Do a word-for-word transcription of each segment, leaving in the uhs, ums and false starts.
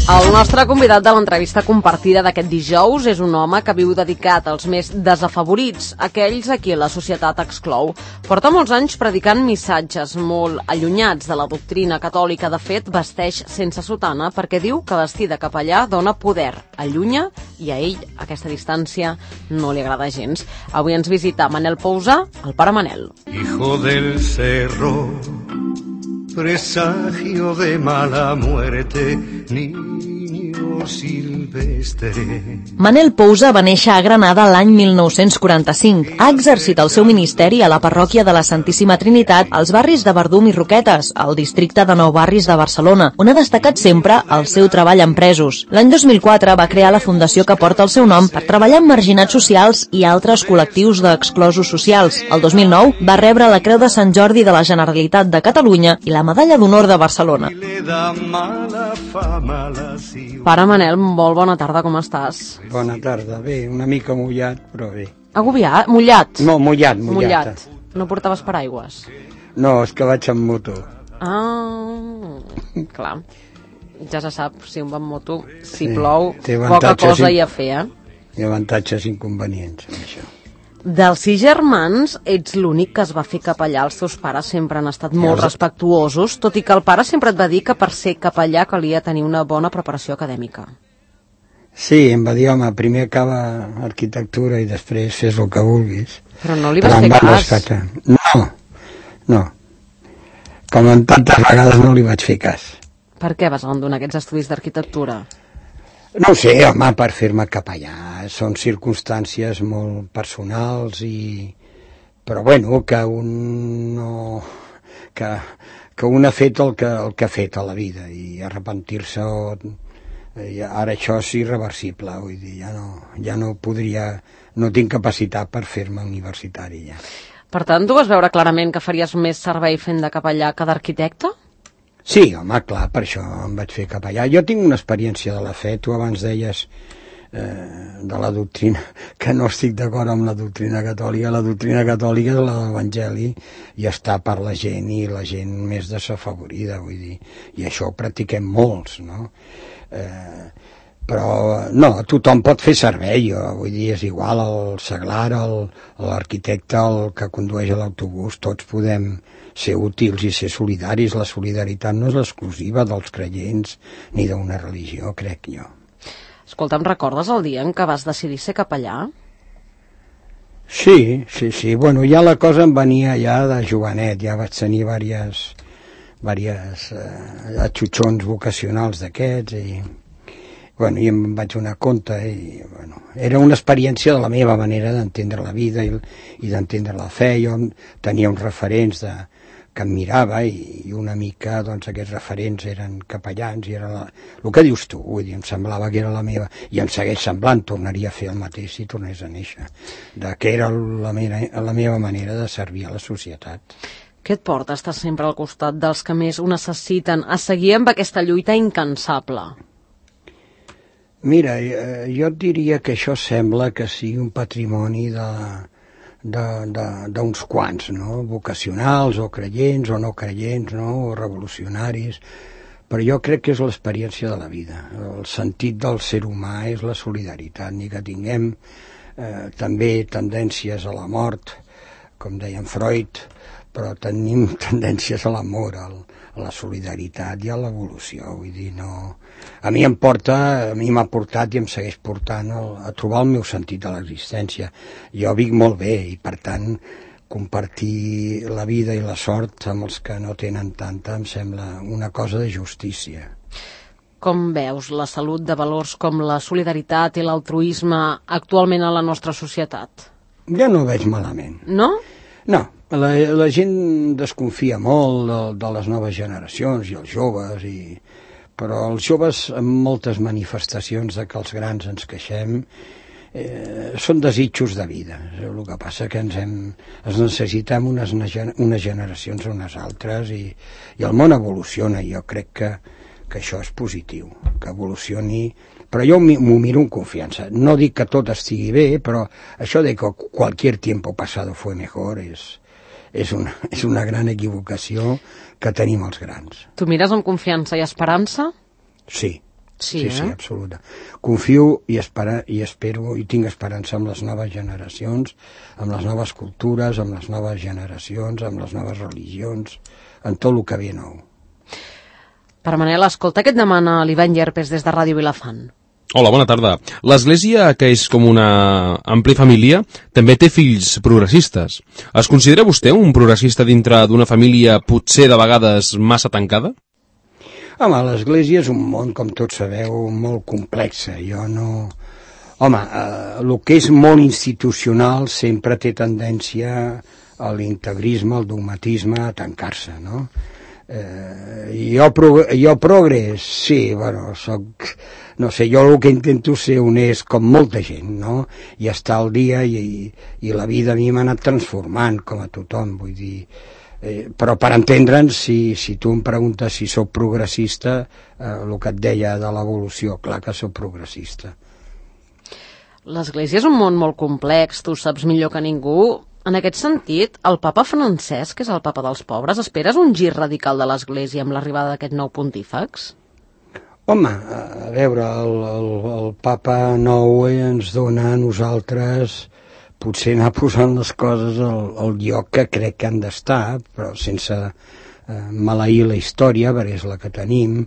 El nostre convidat de l'entrevista compartida d'aquest dijous és un home que viu dedicat als més desafavorits, aquells a qui la societat exclou. Porta molts anys predicant missatges molt allunyats de la doctrina catòlica. De fet, vesteix sense sotana perquè diu que vestir de capellà dona poder, allunya, i a ell aquesta distància no li agrada gens. Avui ens visita Manel Pousa, el pare Manel. Hijo del cerro, presagio de mala muerte, niño silvestre. Manel Pousa va néixer a Granada l'any mil nou-cents quaranta-cinc. Ha exercit el seu ministeri a la parròquia de la Santíssima Trinitat als barris de Verdum i Roquetes, al districte de Nou Barris de Barcelona, on ha destacat sempre el seu treball amb presos. L'any dos mil quatre va crear la fundació que porta el seu nom per treballar amb marginats socials i altres col·lectius d'exclosos socials. El dos mil nou va rebre la Creu de Sant Jordi de la Generalitat de Catalunya i la Medalla d'Honor de Barcelona. Pare Manel, molt bona tarda, com estàs? Bona tarda, bé, una mica mullat, però bé. Agobiat? Mullat? No, mullat, mullat. Mullat. No portaves paraigües? No, és que vaig amb moto. Ah, clar. Ja se sap, si un va amb moto, si Sí, plou, té poca avantatges cosa i- hi ha a fer, eh? Hi ha avantatges i inconvenients en això. Dels sis germans, ets l'únic que es va fer capellà. Els teus pares sempre han estat molt els- respectuosos, tot i que el pare sempre et va dir que per ser capellà calia tenir una bona preparació acadèmica. Sí, em va dir, home, primer acaba arquitectura i després fes el que vulguis. Però no li vas Però fer em va cas. rescatar. No, no. Com en tantes vegades no li vaig fer cas. Per què vas abandonar aquests estudis d'arquitectura? No ho sé, home, per fer-me capellà. Són circumstàncies molt personals i... Però bueno, que un no... Que, que un ha fet el que, el que ha fet a la vida i arrepentir-se o... i ara això és irreversible, vull dir, ja no, ja no podria... No tinc capacitat per fer-me universitari, ja. Per tant, tu vas veure clarament que faries més servei fent de capellà que d'arquitecte? Sí, home, clar, per això em vaig fer capellà. Jo tinc una experiència de la fe, tu abans deies eh, de la doctrina, que no estic d'acord amb la doctrina catòlica. La doctrina catòlica és la de l'Evangeli i està per la gent i la gent més desafavorida, vull dir, i això ho practiquem molts, no? Eh, però no, tothom pot fer servei, jo, vull dir, és igual el seglar, el- l'arquitecte, el que condueix l'autobús, tots podem ser útils i ser solidaris. La solidaritat no és l'exclusiva dels creients ni d'una religió, crec jo. Escolta, em recordes el dia en què vas decidir ser capellà? Sí, sí, sí, bueno, ja la cosa em venia ja de jovenet, ja vaig tenir diverses, diverses eh, atxutxons vocacionals d'aquests i, bueno, i em vaig donar compte i, bueno, era una experiència de la meva manera d'entendre la vida i, i d'entendre la fe. Jo tenia uns referents de, que em mirava i, i una mica, doncs, aquests referents eren capellans i era la, el que dius tu, vull dir, em semblava que era la meva, i em segueix semblant, tornaria a fer el mateix si tornés a néixer, de que era la meva, la meva manera de servir a la societat. Què et porta a estar sempre al costat dels que més ho necessiten, a seguir amb aquesta lluita incansable? Mira, eh, jo et diria que això sembla que sigui un patrimoni de, de, de, d'uns quants, no? Vocacionals o creients o no creients, no? O revolucionaris, però jo crec que és l'experiència de la vida. El sentit del ser humà és la solidaritat, ni que tinguem eh, també tendències a la mort, com deia en Freud, però tenim tendències a l'amor, al, a la solidaritat i a l'evolució. Vull dir, no... A mi em porta, a mi m'ha portat i em segueix portant el, a trobar el meu sentit de l'existència. Jo vic molt bé i, per tant, compartir la vida i la sort amb els que no tenen tanta em sembla una cosa de justícia. Com veus la salut de valors com la solidaritat i l'altruisme actualment a la nostra societat? Jo no ho veig malament. No? No, la, la gent desconfia molt de, de les noves generacions i els joves, i, però els joves amb moltes manifestacions de que els grans ens queixem eh, són desitjos de vida. El que passa que ens, hem, ens necessitem unes, unes generacions a unes altres i, i el món evoluciona. Jo crec que, que això és positiu, que evolucioni, però jo m'ho miro amb confiança. No dic que tot estigui bé, però això de que cualquier tiempo pasado fue mejor és, és, una, és una gran equivocació que tenim els grans. Tu mires amb confiança i esperança? Sí. Sí, sí, eh? sí, absoluta. Confio i, espera, i espero i tinc esperança amb les noves generacions, amb les noves cultures, amb les noves generacions, amb les noves religions, en tot el que ve nou. Per Manel, escolta què et demana l'Ivan Llerpes des de Ràdio Vilafant. Hola, bona tarda. L'Església, que és com una àmplia família, també té fills progressistes. Es considera vostè un progressista dintre d'una família potser de vegades massa tancada? Home, l'Església és un món, com tots sabeu, molt complex. Jo no... Home, eh, el que és molt institucional sempre té tendència a l'integrisme, al dogmatisme, a tancar-se, no? Eh, jo, prog jo progrés, sí, bueno, soc... No sé, jo el que intento ser honest com molta gent, no? I estar al dia i, i la vida a mi m'ha anat transformant, com a tothom, vull dir... Eh, però per entendre'ns, si, si tu em preguntes si sóc progressista, eh, el que et deia de l'evolució, clar que sóc progressista. L'Església és un món molt complex, tu saps millor que ningú. En aquest sentit, el papa Francesc, que és el papa dels pobres, esperes un gir radical de l'Església amb l'arribada d'aquest nou pontífex? Home, a veure, el, el, el papa nou ens dona a nosaltres... potser anar posant les coses al, al lloc que crec que han d'estar, però sense eh, maleir la història, perquè és la que tenim,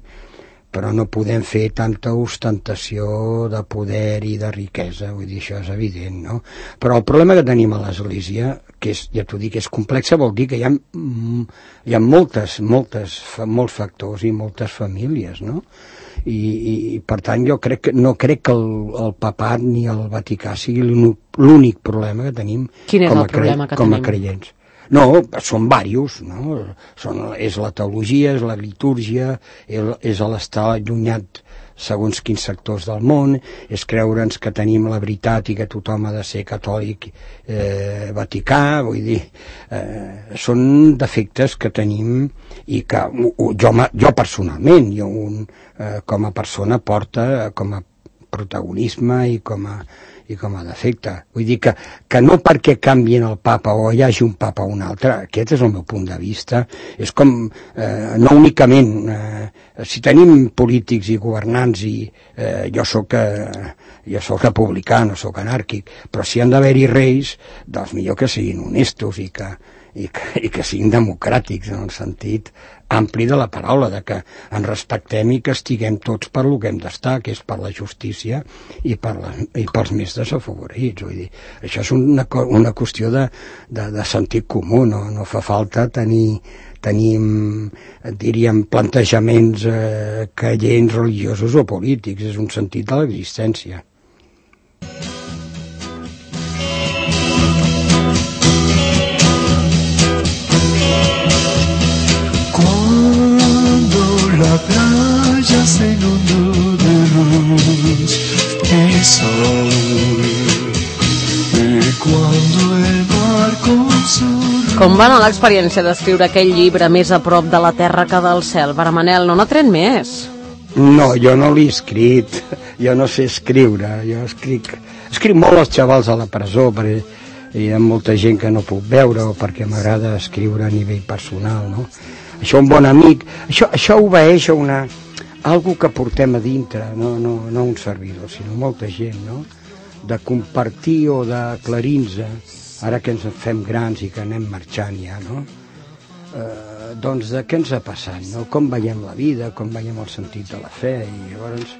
però no podem fer tanta ostentació de poder i de riquesa, vull dir, això és evident, no? Però el problema que tenim a l'Església, que és, ja t'ho dic, és complexa, vol dir que hi ha, hi ha moltes, moltes, molts factors i moltes famílies, no? I, i per tant jo crec que no crec que el, el papat ni el Vaticà sigui l'únic problema que tenim. Quin és com a el problema que com tenim? a creients. No, són diversos, no? Són, és la teologia, és la litúrgia, és l'estar allunyat segons quins sectors del món, és creure'ns que tenim la veritat i que tothom ha de ser catòlic eh, vaticà, vull dir, eh, són defectes que tenim i que jo, jo personalment, jo un, eh, com a persona porta com a protagonisme i com a, i com a defecte. Vull dir que, que no perquè canvien el papa o hi hagi un papa o un altre, aquest és el meu punt de vista, és com, eh, no únicament, eh, si tenim polítics i governants i eh, jo soc eh, jo soc republicà, no soc anàrquic, però si han d'haver-hi reis, doncs millor que siguin honestos i que, i que, i que siguin democràtics en el sentit ampli de la paraula, de que ens respectem i que estiguem tots per lo que hem d'estar, que és per la justícia i, per la, i pels més desafavorits. Vull dir, això és una, una qüestió de, de, de sentit comú, no, no fa falta tenir, tenir diríem, plantejaments eh, creients, religiosos o polítics, és un sentit de l'existència. La playa se inundó de luz y sol, y cuando el mar con su... Com va anar l'experiència d'escriure aquell llibre més a prop de la terra que del cel? Barmanel, no n'ha tret més? No, jo no l'he escrit, jo no sé escriure, jo escric, escric molt als xavals a la presó, perquè hi ha molta gent que no puc veure o perquè m'agrada escriure a nivell personal, no? Això un bon amic, això, això obeeix a una, algo que portem a dintre, no, no, no un servidor, sinó molta gent, no? De compartir o d'aclarir-nos, ara que ens fem grans i que anem marxant ja, no? Eh, doncs de què ens ha passat, no? Com veiem la vida, com veiem el sentit de la fe, i llavors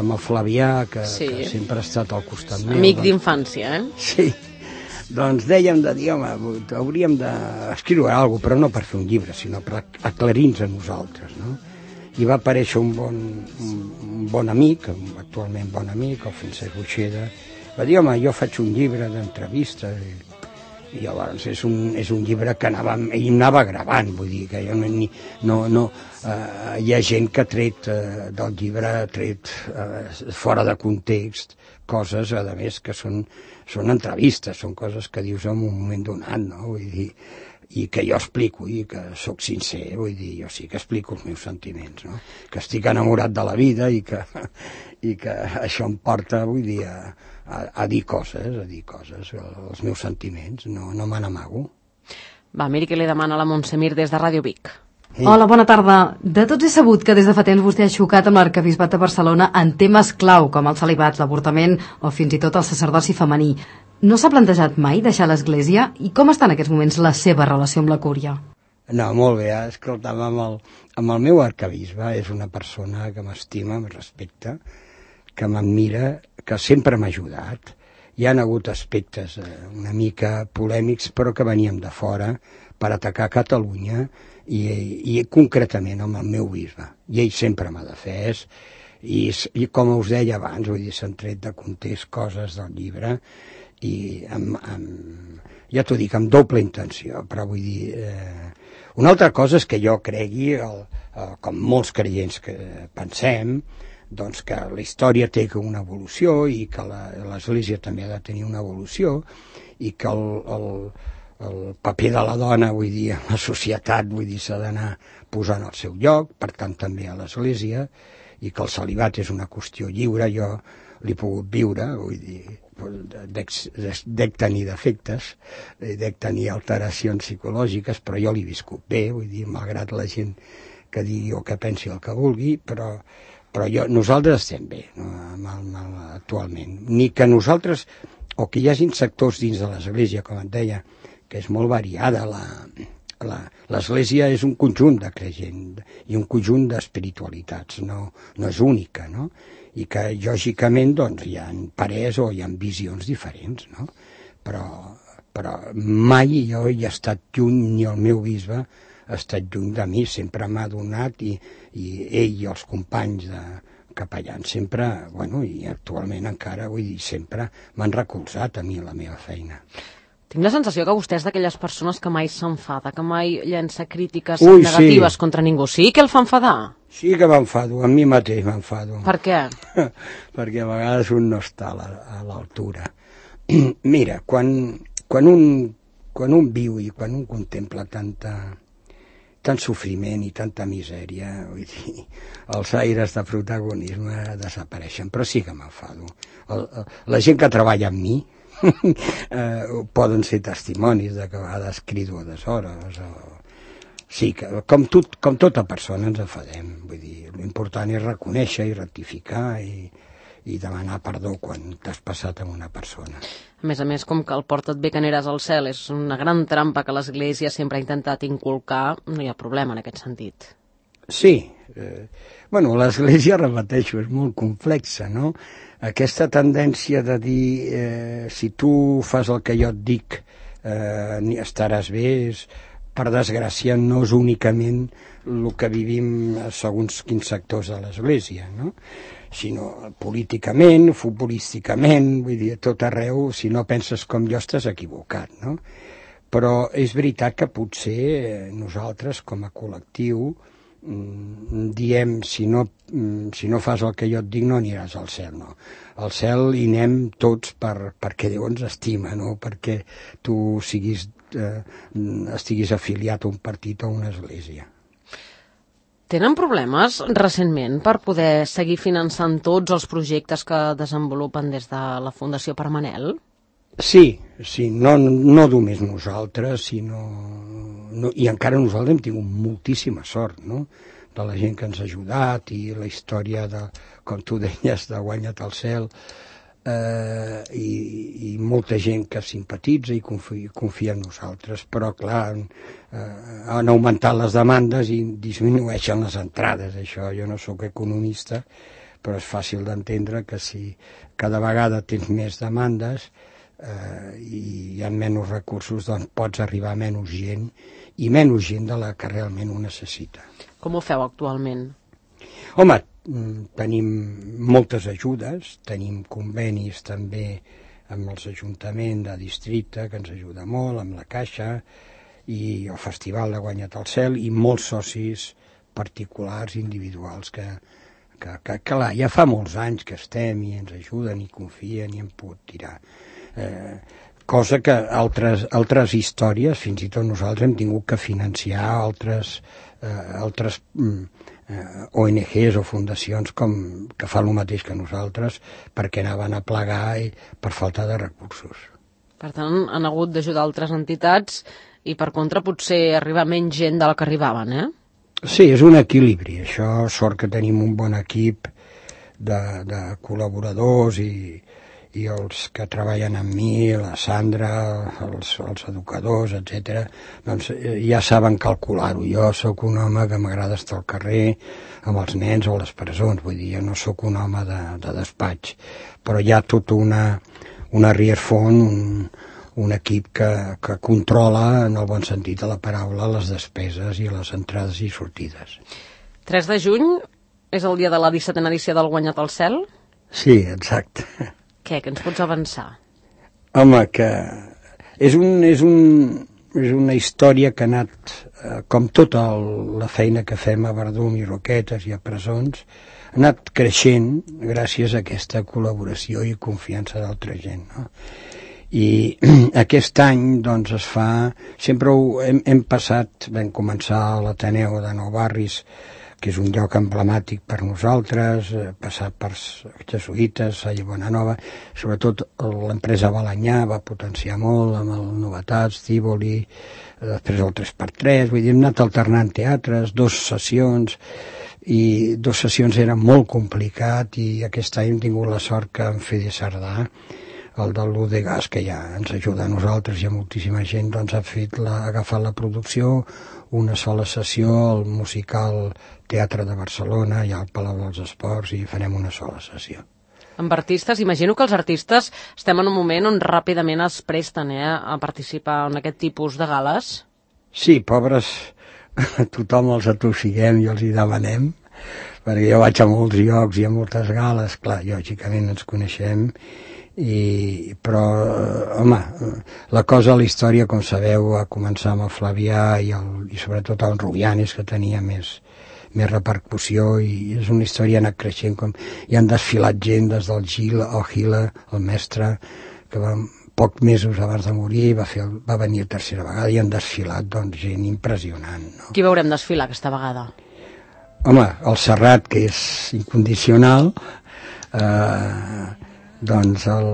amb el Flavià, que, sí. que sempre ha estat al costat meu. Amic doncs, d'infància, eh? Sí. Doncs dèiem de dir, home, hauríem d'escriure alguna cosa, però no per fer un llibre, sinó per aclarir-nos a nosaltres, no? I va aparèixer un bon, un, un bon amic, actualment bon amic, el Francesc Buixeda, va dir, home, jo faig un llibre d'entrevistes, i, i llavors és un, és un llibre que anava, ell anava gravant, vull dir, que jo no, no, no eh, hi ha gent que ha tret eh, del llibre, ha tret eh, fora de context, coses, a més, que són, són entrevistes, són coses que dius en un moment donat, no? Vull dir, i que jo explico, i que sóc sincer, vull dir, jo sí que explico els meus sentiments, no? Que estic enamorat de la vida i que, i que això em porta, vull dir, a, a, a dir coses, a dir coses, els meus sentiments, no, no me n'amago. Va, miri què li demana la Montsemir des de Ràdio Vic. Sí. Hola, bona tarda. De tots he sabut que des de fa temps vostè ha xocat amb l'arquebisbat de Barcelona en temes clau, com el celibat, l'avortament o fins i tot el sacerdoci femení. No s'ha plantejat mai deixar l'Església? I com està en aquests moments la seva relació amb la cúria? No, molt bé, escolta'm, amb el, amb el meu arquebisbe, és una persona que m'estima, em respecta, que m'admira, que sempre m'ha ajudat. Hi ha hagut aspectes eh, una mica polèmics, però que veníem de fora per atacar Catalunya i, i concretament amb el meu bisbe. I ell sempre m'ha defès i, i com us deia abans, vull dir, s'han tret de context coses del llibre i amb, amb, ja t'ho dic, amb doble intenció, però vull dir... Eh, una altra cosa és que jo cregui, el, el, com molts creients que pensem, doncs que la història té una evolució i que l'Església també ha de tenir una evolució i que el, el, el paper de la dona, vull dir, en la societat, vull dir, s'ha d'anar posant al seu lloc, per tant també a l'Església, i que el celibat és una qüestió lliure, jo l'he pogut viure, vull dir, dec, dec tenir defectes, dec tenir alteracions psicològiques, però jo l'he viscut bé, vull dir, malgrat la gent que digui o que pensi el que vulgui, però però jo, nosaltres estem bé, no, amb el, amb el, actualment. Ni que nosaltres, o que hi hagin sectors dins de l'Església, com et deia, que és molt variada. L'Església és un conjunt de creyent i un conjunt d'espiritualitats, no, no és única, no? I que, lògicament, doncs, hi ha parers o hi ha visions diferents, no? Però, però mai jo hi he estat lluny, ni el meu bisbe ha estat lluny de mi, sempre m'ha donat i, i ell i els companys de capellans sempre, bueno, i actualment encara, vull dir, sempre m'han recolzat a mi la meva feina. Tinc la sensació que vostè és d'aquelles persones que mai s'enfada, que mai llença crítiques Ui, negatives sí. contra ningú. Sí que el fa enfadar? Sí que m'enfado, a mi mateix m'enfado. Per què? Perquè a vegades un no està a l'altura. Mira, quan, quan, un, quan un viu i quan un contempla tanta... tant sofriment i tanta misèria, vull dir, els aires de protagonisme desapareixen, però sí que m'enfado. La gent que treballa amb mi eh, poden ser testimonis de que a vegades crido a deshores. O... Sí, que, com, tot, com tota persona ens enfadem, vull dir, l'important és reconèixer i rectificar i, i demanar perdó quan t'has passat amb una persona. A més a més, com que el porta't bé que aniràs al cel és una gran trampa que l'Església sempre ha intentat inculcar, no hi ha problema en aquest sentit. Sí. Eh, bueno, l'Església, repeteixo, és molt complexa, no? Aquesta tendència de dir eh, si tu fas el que jo et dic eh, estaràs bé, és, per desgràcia, no és únicament el que vivim segons quins sectors de l'Església, no? Sinó políticament, futbolísticament, vull dir, a tot arreu, si no penses com jo estàs equivocat, no? Però és veritat que potser nosaltres, com a col·lectiu, diem, si no, si no fas el que jo et dic no aniràs al cel, no. Al cel hi anem tots per, perquè Déu ens estima, no perquè tu siguis, eh, estiguis afiliat a un partit o a una església. Tenen problemes recentment per poder seguir finançant tots els projectes que desenvolupen des de la Fundació Permanel? Sí, sí, no, no només nosaltres, sinó... No, i encara nosaltres hem tingut moltíssima sort, no?, de la gent que ens ha ajudat i la història de, com tu deies, de Guanya't el cel, eh, i, i molta gent que simpatitza i confia, confia en nosaltres, però clar, eh, han augmentat les demandes i disminueixen les entrades, això, jo no sóc economista, però és fàcil d'entendre que si cada vegada tens més demandes eh, i hi ha menys recursos, doncs pots arribar a menys gent i menys gent de la que realment ho necessita. Com ho feu actualment? Home, tenim moltes ajudes, tenim convenis també amb els ajuntaments de districte, que ens ajuda molt, amb la Caixa, i el Festival de Guanya't el cel, i molts socis particulars, individuals, que, que, que clar, ja fa molts anys que estem i ens ajuden i confien i hem pogut tirar. Eh, cosa que altres, altres històries, fins i tot nosaltres hem tingut que financiar altres, eh, altres eh, O N Ges o fundacions com, que fan el mateix que nosaltres perquè anaven a plegar i, per falta de recursos. Per tant, han hagut d'ajudar altres entitats i per contra potser arriba menys gent de la que arribaven, eh? Sí, és un equilibri. Això, sort que tenim un bon equip de, de col·laboradors i, i els que treballen amb mi, la Sandra, els, els educadors, etcètera, doncs ja saben calcular-ho. Jo sóc un home que m'agrada estar al carrer amb els nens o a les presons, vull dir, jo no sóc un home de, de despatx, però hi ha tota una, una rierfont, un, un equip que, que controla, en el bon sentit de la paraula, les despeses i les entrades i sortides. tres de juny és el dia de la dissetena edició del Guanyat al Cel? Sí, exacte. Què, què ens pots avançar? Home, que és, un, és, un, és una història que ha anat, eh, com tota el, la feina que fem a Verdum i Roquetes i a presons, ha anat creixent gràcies a aquesta col·laboració i confiança d'altra gent, no? I aquest any doncs es fa, sempre ho hem, hem passat, vam començar a l'Ateneu de Nou Barris, que és un lloc emblemàtic per nosaltres, eh, passat per jesuïtes, Salle Bonanova, sobretot l'empresa Balanyà va potenciar molt amb el Novetats, Tívoli, després el tres per tres, vull dir, hem anat alternant teatres, dos sessions, i dos sessions era molt complicat i aquest any hem tingut la sort que en Fede Sardà, el del l'U de Gas, que ja ens ajuda a nosaltres i a moltíssima gent, doncs ha fet la, ha agafat la producció, una sola sessió al musical Teatre de Barcelona i al Palau dels Esports, i farem una sola sessió. Amb artistes, imagino que els artistes estem en un moment on ràpidament es presten eh, a participar en aquest tipus de gales. Sí, pobres, tothom els atossiguem i els hi demanem, perquè jo vaig a molts llocs i a moltes gales, clar, lògicament ens coneixem, i, però, home, la cosa a la història, com sabeu, va començar amb el Flavià i, el, i sobretot el Rubianes, que tenia més, més repercussió, i és una història que ha anat creixent, com hi han desfilat gent des del Gil, el Gila, el mestre, que va, pocs mesos abans de morir va, fer, va venir a tercera vegada i han desfilat doncs, gent impressionant. No? Qui veurem desfilar aquesta vegada? Home, el Serrat, que és incondicional, eh, doncs el,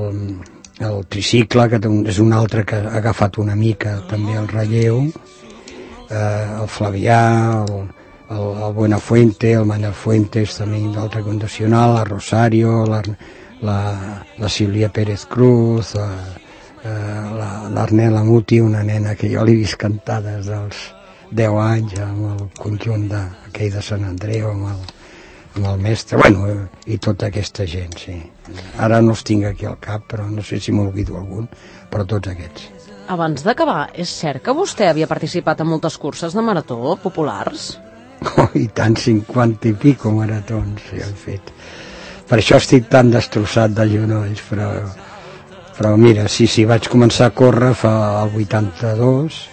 el tricicle, que és un altre que ha agafat una mica també el relleu, eh, el Flavià, el, el, el Buenafuente, el Manel Fuentes, també d'altre condicional, el Rosario, la, la, la Sílvia Pérez Cruz, la, eh, l'Arnela Muti, una nena que jo l'he vist cantar des dels deu anys amb el conjunt d'aquell de Sant Andreu, amb el, amb el mestre, bueno, i tota aquesta gent, sí. Ara no els tinc aquí al cap, però no sé si m'olvido algun, però tots aquests. Abans d'acabar, és cert que vostè havia participat en moltes curses de marató populars? Oh, i tant, cinquanta i pico maratons sí, he fet. Per això estic tan destrossat de genolls, però, però mira, sí, sí, vaig començar a córrer fa el vuitanta-dos,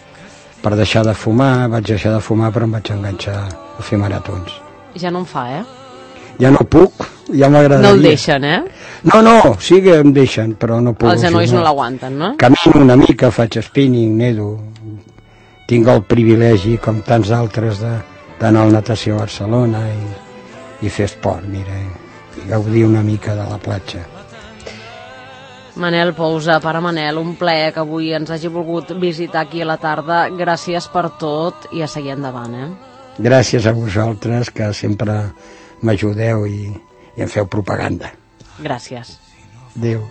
per deixar de fumar, vaig deixar de fumar, però em vaig enganxar a fer maratons. Ja no em fa, eh? Ja no puc, ja m'agradaria. No el deixen, eh? No, no, sí que em deixen, però no puc. Els genolls no l'aguanten, no? Camino una mica, faig spinning, nedo. Tinc el privilegi, com tants altres, d'anar al natació a Barcelona i, i fer esport, mira, i gaudir una mica de la platja. Manel Pousa, pare Manel, un plaer que avui ens hagi volgut visitar aquí a la tarda. Gràcies per tot i a seguir endavant, eh? Gràcies a vosaltres, que sempre m'ajudeu i, i em feu propaganda. Gràcies. Adéu.